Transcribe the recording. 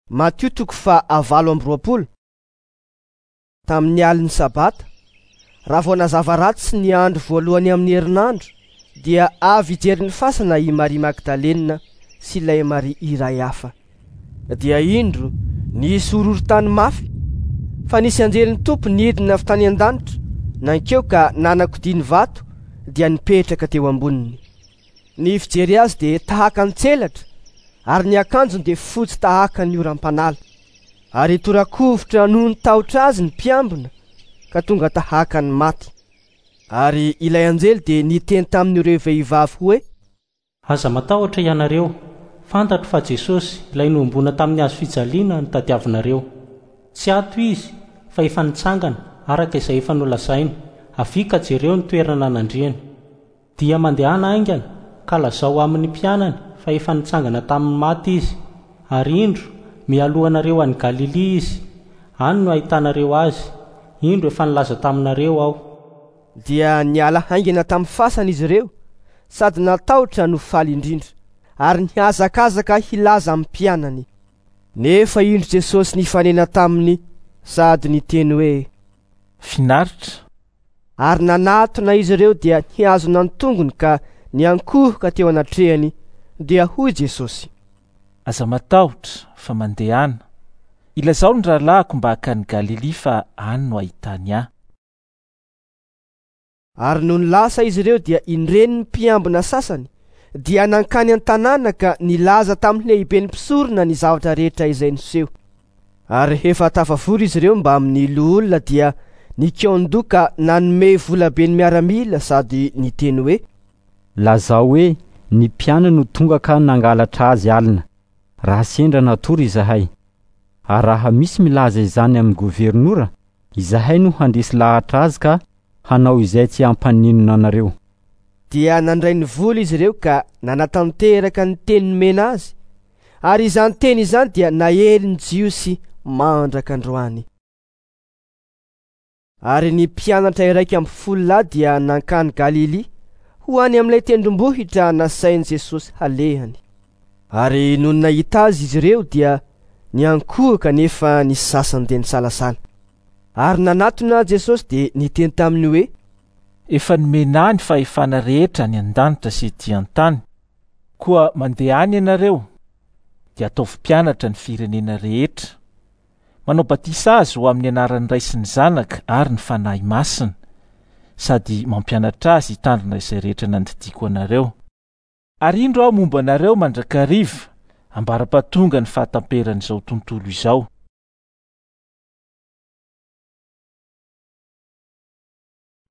Matio toko faha-28. Tamin'ny alin'ny Sabata, raha vao nazava ratsy ny andro voalohany amin'ny herinandro, dia avy hijery ny fasana i Maria Magdalena sy ilay Maria iray hafa. Dia indro nisy horohorontany mafy, fa nisy anjelin'ny Tompo nidina avy tany an-danitra, nankeo ka nanakodia ny vato, dia nipetraka teo amboniny. Ny fijery azy dia tahaka ny tselatra, ary ny akanjony dia fotsy tahaka ny oram-panala. Ary torakovitra noho ny tahotra azy ny mpiambina, ka tonga tahaka ny maty. Ary ilay anjely dia niteny tamin'ireo vehivavy hoe. Aza matahotra ianareo, fantatro fa Jesosy, ilay nohomboana tamin'ny hazo fijaliana, no tadiavinareo. Tsy ato Izy, fa efa nitsangana, araka izay efa nolazainy. Avia ka jereo ny toerana nandriany. Dia mandehana haingana, ka lazao amin'ny mpianany fa efa nitsangana tamin'ny maty Izy, ary indro, mialoha anareo any Galilia Izy, any no hahitanareo Azy, indro efa nilaza taminareo Aho. Dia niala haingana tamin'ny fasana izy ireo, sady natahotra no faly indrindra, ary nihazakazaka hilaza amin'ny mpianany. Nefa indro Jesosy nifanena taminy sady niteny hoe. Finaritra! Ary nanatona izy ireo dia nihazona ny tongony ka niankohoka teo anatrehany, dia hoy Jesosy. Aza matahotra, fa mandehana. Ilazao ny rahalahiko mba hakany Galilia fa any no hahitany ahy. Ary nony lasa izy ireo dia indreny ny mpiambina sasany dia nankany an-tanàna ka nilaza tamin'ny lehiben'ny mpisorona ny zavatra rehetra izay niseho. Ary rehefa tafavory izy ireo mbamin'ny loholona dia nikaon-doha ka nanome volabe ny miaramila sady niteny hoe. Lazao hoe, Ny mpianany no tonga ka nangalatra azy alina, raha sendra natory izahay. Ary raha misy milaza izany amin'ny governora, izahay no handresy lahatra azy ka hanao izay tsy hampaninona anareo. Dia nandray ny vola izy ireo ka nanatanteraka ny teny nomena azy, ary izany teny izany dia naelin'ny Jiosy mandraka androany. Ary ny mpianatra 11 lahy dia nankany Galilia, ho any amin'ilay tendrombohitra nasain'i Jesosy halehany. Ary nony nahita azy izy ireo dia niankohoka nefa ny sasany dia nisalasala. Ary nanatona Jesosy dia niteny taminy hoe. Efa nomena ahy ny fahefana rehetra any an-danitra sy ety an-tany. Koa mandehana ianareo, dia ataovy mpianatra ny firenena rehetra. Manao batisa azy ho amin'ny anaran'ny Ray sy ny Zanaka ary ny Fanahy Masina, sady mampianatra azy hitandrina izay rehetra nandidiako anareo. Ary indro aho momba anareo mandrakariva, ambara-pahatonga ny fahatamperan'izao tontolo izao.